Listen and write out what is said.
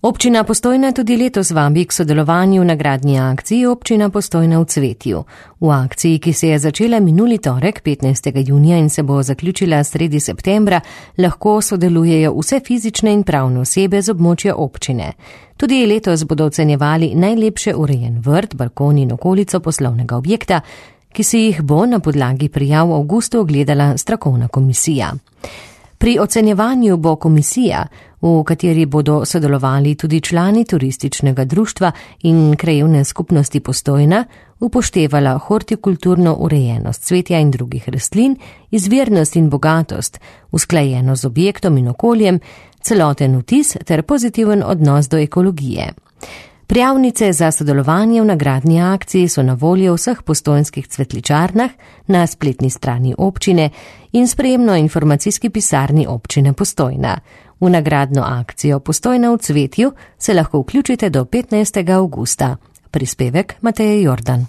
Občina Postojna tudi letos vabi k sodelovanju v nagradni akciji Občina Postojna v cvetju. V akciji, ki se je začela minuli torek 15. junija in se bo zaključila sredi septembra, lahko sodelujejo vse fizične in pravne osebe z območja občine. Tudi letos bodo ocenjevali najlepše urejen vrt, balkon in okolico poslovnega objekta, ki si jih bo na podlagi prijav v avgustu ogledala strokovna komisija. Pri ocenjevanju bo komisija, v kateri bodo sodelovali tudi člani turističnega društva in krajevne skupnosti Postojna, upoštevala hortikulturno urejenost cvetja in drugih rastlin, izvirnost in bogatost, usklajeno z objektom in okoljem, celoten vtis ter pozitiven odnos do ekologije. Prijavnice za sodelovanje v nagradni akciji so na voljo v vseh postojnskih cvetličarnah, na spletni strani občine in sprejemno-informacijski pisarni občine Postojna. V nagradno akcijo Postojna v cvetju se lahko vključite do 15. avgusta. Prispevek Mateje Jordan.